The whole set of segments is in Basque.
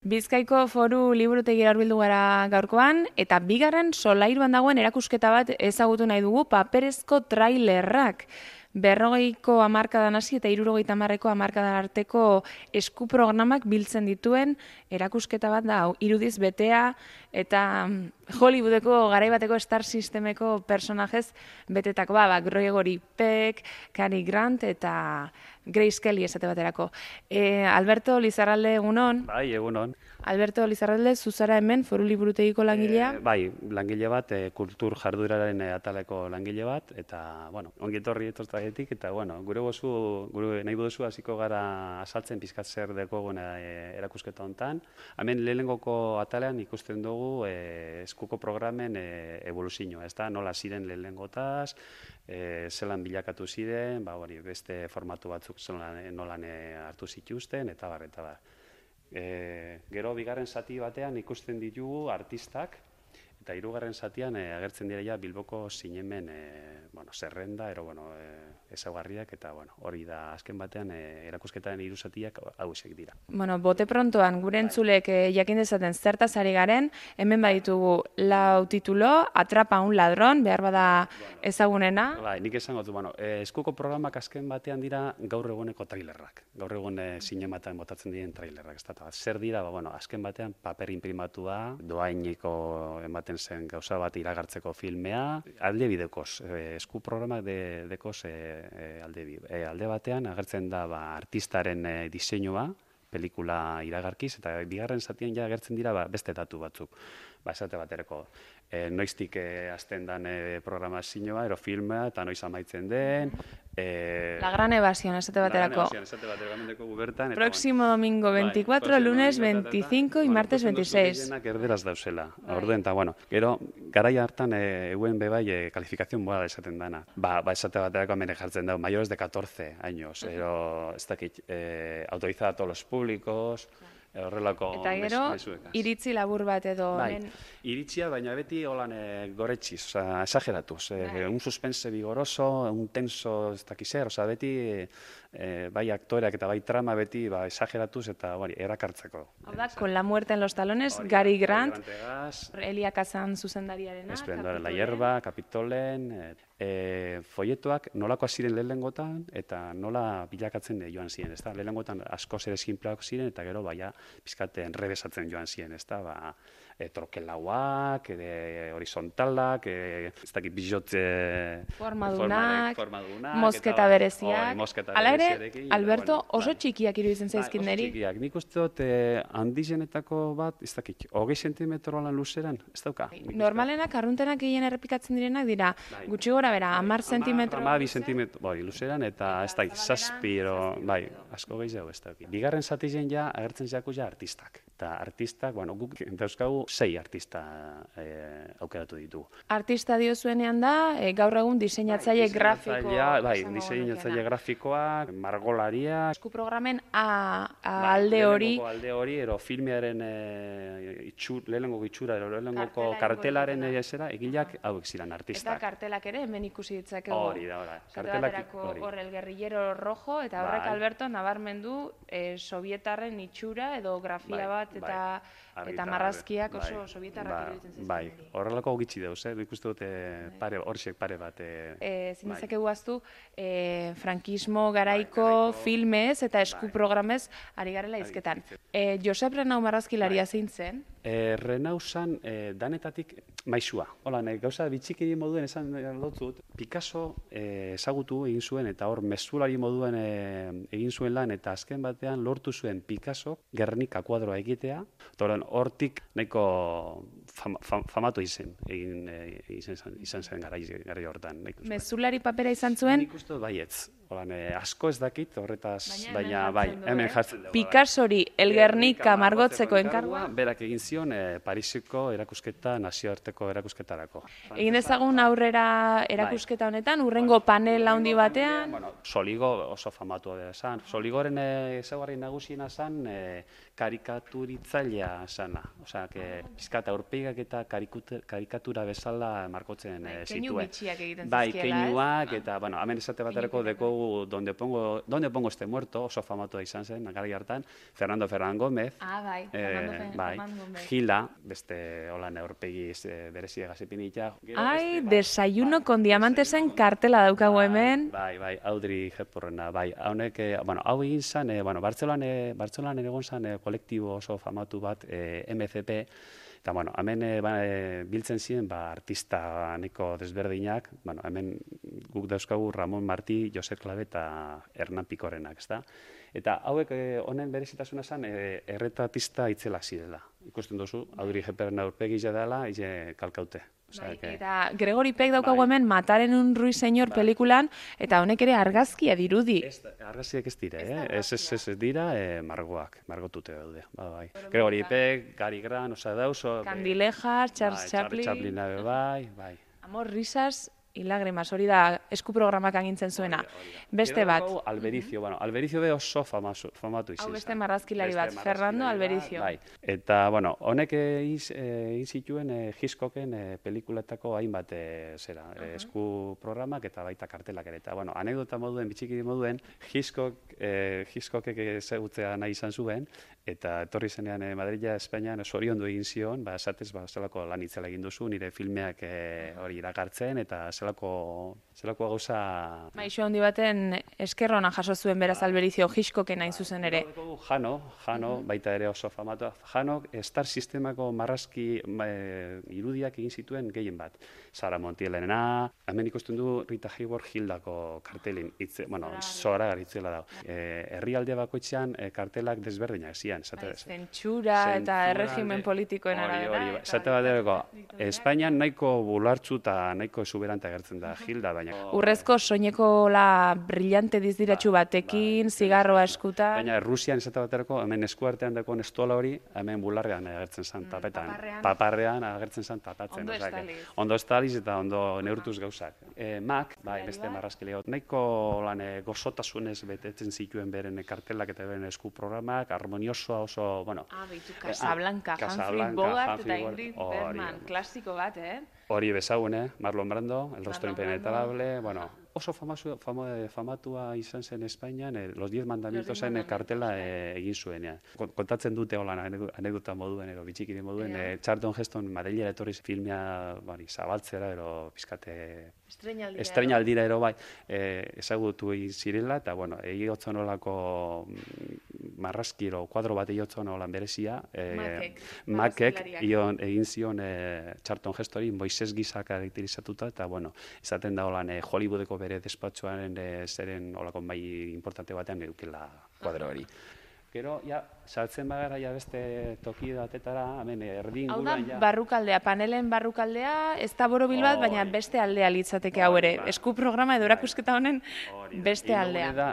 Bizkaiko Foru Liburutegira hurbildu gara gaurkoan, eta bigarren solairuan dagoen erakusketa bat ezagutu nahi dugu, paperezko trailerrak. 40ko hamarkadan hasi eta 70ko hamarkadan arteko eskuprogramak biltzen dituen erakusketa bat da, irudiz betea eta Hollywoodeko garaibateko Star Systemeko personajez betetako, Gregory Peck, Cary Grant eta Grace Kelly esate baterako. Alberto Lizarralde, egunon. Bai, egunon. Alberto Lizarralde, zuzara hemen, Foru Liburutegiko langilea? Bai, langile bat, kultur jarduraren ataleko langile bat, eta, ongi etorri etortagetik, eta, gure nahi buduzu hasiko gara asaltzen pizkat zer dekogun erakusketa hontan. Hemen lehenengoko atalean ikusten dugu eskuko programen evoluzioa, ez da, nola ziren lehenengotaz, zelan bilakatu ziren, beste formatu batzuk nolan hartu zituzten, eta bar, eta bar. Gero bigarren zati batean ikusten ditugu artistak, eta hirugarren zatian agertzen dira Bilboko zinemen zerrenda, ezaugarriak, eta hori da azken batean erakusketaren hiru zatiak hauexek dira. Bote prontoan, gure entzulek jakin dezaten zertaz ari garen, hemen baditugu lau titulo, Atrapa un ladrón, behar bada ezagunena. Bai, nik esango du, eskuko programak azken batean dira gaur eguneko trailerrak. Gaur egun zinematan botatzen diren trailerrak. Zer dira, azken batean paper inprimatua, doainiko ematen zen gauza bat iragartzeko filmea, alde bidekoz, esku programak dekoz alde batean agertzen da artistaren diseinua, pelikula iragarkiz, eta bigarren zatian agertzen dira beste datu batzuk. Esate baterako, noiztik hasten den programazioa, ero filmea, eta noiz amaitzen den. La gran evasión, esate baterako. Próximo domingo 24, lunes 25 y martes 26. Erderaz dauzela. Orduen, eta gero, garai hartan euen bebai kalifikazioa moral esaten dana. Esate baterako hemen jartzen dago, mayores de 14 años, ez dakit, autorizada a todos los públicos, horrelako eta gero, iritzi labur bat edo. Iritzia, baina beti holan goretxiz, esageratuz. Un suspense vigoroso, un tenso ez dakizer, beti bai aktoreak eta bai trama beti esageratuz eta erakartzeko. Hau da, Con la muerte en los talones, Cary Grant, Elia Kazan zuzendariarena. Esplendor la hierba, Kapitolen, foietoak nolakoak ziren lehenengotan eta nola bilakatzen joan ziren, ez da? Lehenengotan asko ere sinpleak ziren eta gero pizkat enrebesatzen joan ziren, ez da? Trokelauak, horizontalak, ez dakit bizot formadunak, mosketa bereziak. Hala ere, Alberto, oso txikiak iruditzen zaizkin niri. Oso txikiak. Nik uste dut handizenetako bat, ez dakit, 20 zentimetro lan luzeran, ez dauka. Normalenak, arruntenak gehien errepikatzen direnak dira, gutxi gora bera, 10 zentimetro. 10 zentimetro luzeran, eta ez dakit, zazpiro, asko gehiago ez dakit. Bigarren zatizen agertzen zaku artistak. Eta artistak, guk dauzkagu 6 artista aukeratu ditugu. Artista diozuenean da, gaur egun diseinatzaile grafikoa. Diseinatzaile grafikoak, margolaria. Esku programen alde hori. Alde hori, ero filmearen lehenengo itxura, lehenengoko kartelaren egileak hauek ziren artistak. Eta kartelak ere, hemen ikusi ditzakegu. Hori da, hor el guerrillero rojo, eta horrek Alberto nabarmendu sovietarren itxura edo grafia bat eta marrazkiak oso sovietarrak iruditzen zizten. Bai, horrelako gitxi dauz, ikustu dute horiek pare bat. Zinezakegu aztu, frankismo garaiko filmez eta esku programez ari garela izketan. Josep Renau marrazkilaria zein zen? Renau zan danetatik maisua. Hola, gauza bitxikeri moduen esan lotzut, Picasso ezagutu egin zuen eta hor mezulari moduen egin zuen lan eta azken batean lortu zuen Picasso Gernika kuadroa egitea. Hortik nahiko famatu izan zen garai hortan. Mezulari papera izan zuen? Nik uste baietz. Asko ez dakit, horretaz, baina bai, hemen jartzen dugu. Picassori el Gernika margotzeko enkargua? Berak egin zion Parisiko erakusketa, nazioarteko erakusketarako. Egin dezagun aurrera erakusketa honetan, urrengo panel handi batean? Soligo oso famatu da esan. Soligoren ezaugarri nagusiena zen karikaturitzailea zana. Osea, pizkat aurpegi komikak eta karikatura bezala markotzen Keinu zituen. bitxiak egiten Bai, zizkiela, keinuak, eta, bueno, hemen esate baterako Keinuketak, dekogu donde pongo este muerto, oso famatua izan zen, garai hartan, Fernando Gómez, bai, bai, Fernando Gómez. Gila, beste holan aurpegi berezia gazipinita. Ai, desayuno con diamantesen kartela daukagu hemen. Bai, Audrey Hepburna, bai. Haunek, bueno, hau egin zen, Bartzelonan egon zen kolektibo oso famatu bat, MCP, eta, bueno, hemen biltzen ziren, artista neko desberdinak, bueno, hemen guk dauzkagu Ramon Martí, Josep Klabe eta Hernán Pikorenak, ezta? Eta hauek honen berezitasuna zen erretratista itzelak zirela. Ikusten duzu, Audrey Hepburna aurpegi dela, kalkaute. Eta Gregori Peck daukagu hemen Mataren un ruiseñor pelikulan, eta honek ere argazkia dirudi. Argazkiak ez dira, ez dira margotute daude. Bai. Gregori Peck, Gary Grant, Candilejas, Charles Chaplin. Chaplin, bai. Amor, risas y lágrimas, hori da esku programak agintzen zuena. Beste bat. Albericio, Albericio be oso famatu izan. Hau beste marrazkilari bat, Fernando Albericio. Bai. Eta, bueno, honek egin zituen Hitchcocken pelikuletako hainbat esku programak eta baita kartelak ere. Eta, bueno, anekdota moduen, bitxiki moduen, Hitchcockek ezagutzea nahi izan zuen, eta etorri zenean Madrila, Espainian, zoriondu egin zion, esatez, zelako lan itzela egin duzu, nire filmeak hori iragartzen, eta zelako gauza... Iso handi baten eskerrona jaso zuen beraz Albericio Hitchcocken hain zuzen ere. Jano, baita ere oso famatua. Jano, Star Sistemako marrazki irudiak egin zituen gehien bat. Sara Montielena, hemen ikusten du Rita Hayworth Hildako kartelin, zora garitzela dago. Herrialde bakoitzean kartelak desberdinak zian. Zentsura eta erregimen politikoen arabera. Esate baterako, Espainian nahiko bulartzu eta nahiko exuberante agertzen da Hilda, baina... Urrezko soinekola brillante dizdiratxu batekin, zigarroa eskuta... Baina Rusian esate baterako, hemen eskuartean dagoen estola hori, hemen bularrean agertzen zen tapetan. Paparrean agertzen zen tapatzen. Ondo estaliz eta ondo neurtuz gauzak. Mac, beste marrazkile nahiko gozotasunez betetzen zituen beren kartelak eta beren esku programak, harmoniosoa oso, bueno... Casablanca, Humphrey Bogart eta Ingrid Bergman, klasiko bat, Hori bezagun, Marlon Brando, El rostro impenetrable, bueno, oso famatua izan zen Espainian, Los 10 mandamientosen kartela egin zuen. Kontatzen dute holan anekdota moduen, bitxikiri moduen, Charlton Heston Madrilera etorri filmea zabaltzera, pizkate estreinaldira ero bai, ezagutu egin zirela, eta, bueno, egiotza nolako marrazkiro, kuadro bat egiotza nolan berezia, Makek egin zion Charlton Hestori, Moises gisa karakterizatuta, eta, bueno, izaten da holan Hollywoodeko bere despatxoaren zeren olako mai importante batean edukela kuadro hori. Gero, saltzen bagara beste toki batetara, hemen erdin gulan... Hau da barrukaldea, panelen barrukaldea, ez da borobil bat, baina beste aldea litzateke hau ere. Esku programa edo erakusketa honen beste aldea.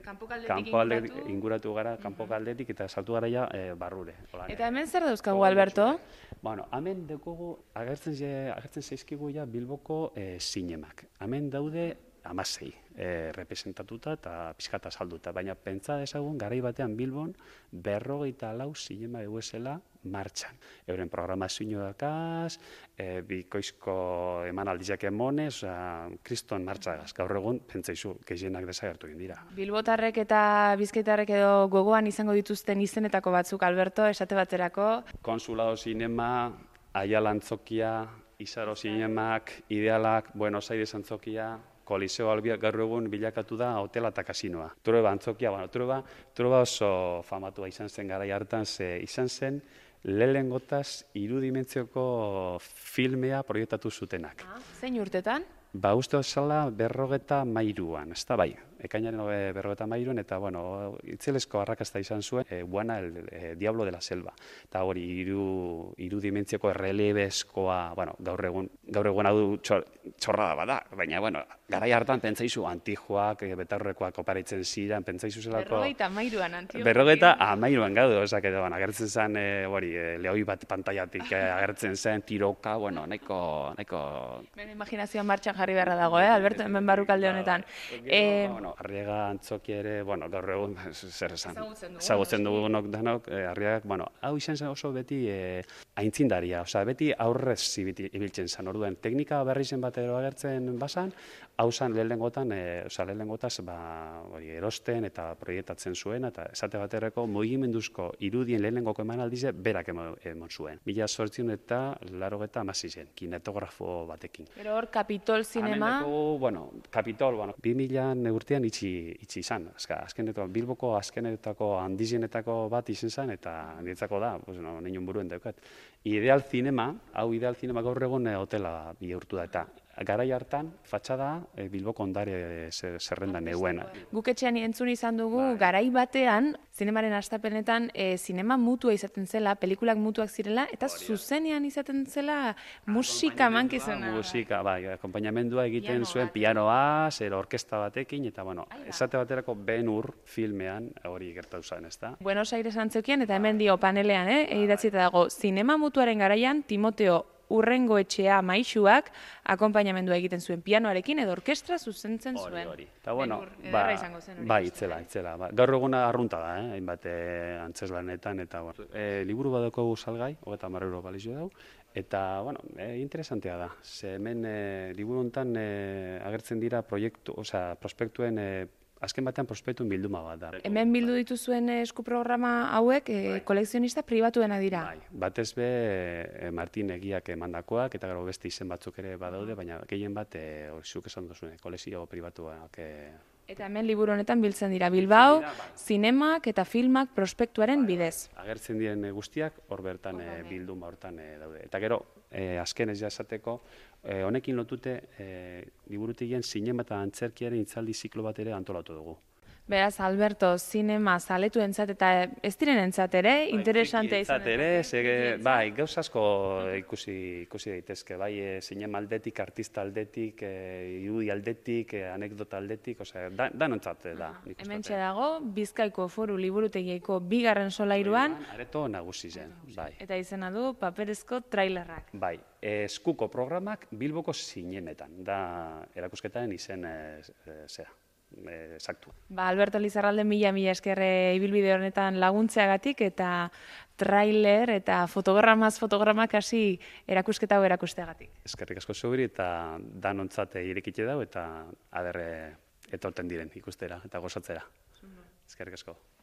Kanpo aldetik inguratu gara, kanpo aldetik eta saltu gara barrure. Eta hemen zer dauzkagu, Alberto? Bueno, hemen dekogu, agertzen zaizkigu Bilboko zinemak. Hemen daude 16 representatuta eta pixkata salduta, baina pentsa dezagun garai batean Bilbon 54 zinema eguesela martxan. Euren programazio dakaz, bikoizko emanaldiak emonez, kriston martxagaz. Gaur egun, pentsaizu, gehienak desagertu egin dira. Bilbotarrek eta bizkaitarrek edo gogoan izango dituzten izenetako batzuk, Alberto, esate baterako? Konsulado Zinema, Aiala Antzokia, Izaro Zinemak, Idealak, Buenos Aires Antzokia, Koliseo Albiak gaur egun bilakatu da hotela eta kasinoa. Trueba Antzokia, Trueba oso famatua izan zen garai hartan, izan zen lehengotaz irudimentzioko filmea proiektatu zutenak. Zein urtetan? Uste zela 53an, ez da bai. Ekainaren 53an, eta, bueno, itzelezko arrakasta izan zuen, Juana, el Diablo de la Selva. Eta hori, irudimentzioko errelebezkoa, bueno, gaur egun hau txorrada bada, baina, bueno, garai hartan pentsaizu Antijoak, Betaurrekoak oparitzen ziren, pentsaizu zelako... 53an Antijoak. 53an gaudu, agertzen zen, lehoi bat pantaiatik agertzen zen, tiroka, bueno, nahiko... Bene imaginazioan martxan jarri beharra dago, Alberto, hemen barrukalde honetan. bueno, Arriaga Antzoki ere, bueno, gaur egun, zer esan, Ezagutzen dugu, dugunok danok, Arriagak, bueno, hau izan zen oso beti aintzindaria, osea, beti aurrez ibiltzen zen, orduen, teknika berri zen bat agertzen bazan, hau zen lehenengotan, lehenengotaz, erosten eta proiektatzen zuen, eta esate baterako mugimenduzko irudien lehenengoko emanaldize berak emon zuen. 1886 kinetografo batekin. Gero hor Kapitol Zinema. Bueno, Kapitol, 2000 urtean itxi izan. Azkenetako, Bilboko azkenetako handizenetako bat izan zen, eta niretzako da, neinun buruen daukat. Ideal Zinema, hau Ideal Zinema gaur egun hotela bihurtu da, eta garai hartan, fatxada Bilboko ondare zerrendan neuen. Guk etxean entzun izan dugu, garai batean, zinemaren hastapenetan, zinema mutua izaten zela, pelikulak mutuak zirela, eta zuzenean izaten zela musika mankizuna. Musika, akompainamendua egiten zuen pianoa, orkesta batekin, eta esate baterako Ben-Hur filmean hori gertatu zen, ez da? Buenos Aires antzeukien, eta hemen dio panelean, idatzita dago, zinema mutuaren garaian, Timoteo Urrengoetxea maisuak akonpainamendua egiten zuen pianoarekin edo orkestra zuzentzen zuen. Hori. Eta itzela. Gaur eguna arrunta da, hainbat antzeslanetan, eta liburu badako salgai, 30 euro balizio dau, eta, interesantea da. Ze hemen liburu honetan agertzen dira prospektuen azken batean prospektuen bilduma bat da. Hemen bildu dituzuen eskuprograma hauek kolekzionista pribatuena dira. Batez be Martin Egiak emandakoak, eta gero beste izen batzuk ere badaude, baina gehien bat, zuk esan duzune, kolekzio pribatuak. Eta hemen liburu honetan biltzen dira Bilbao, zinemak eta filmak prospektuaren bidez. Agertzen diren guztiak hor bertan bilduma hortan daude. Eta gero, azken ez esateko, honekin lotute liburutegien zinema eta antzerkiaren hitzaldi ziklo bat ere antolatu dugu. Beraz, Alberto, zinema zaletu entzat eta ez diren entzat ere, interesantea izan. Bai, gauz asko ikusi daitezke, bai, zinema aldetik, artista aldetik, irudi aldetik, anekdota aldetik, danontzat da. Hementxe dago, Bizkaiko Foru Liburutegieko 2. solairuan. Areto nagusi zen, bai. Eta izena du paperezko trailerrak. Bai, eskuko programak Bilboko zinemetan, da erakusketaren izen zera. Exacto. Alberto Lizarralde, mila eskerre ibilbide honetan laguntzeagatik eta trailer eta fotogramak hasi erakusketa hau erakusteagatik. Eskerrik asko zubiri eta danontzat irekite dau eta aderre etorten diren ikustera eta gozatzera. Eskerrik asko.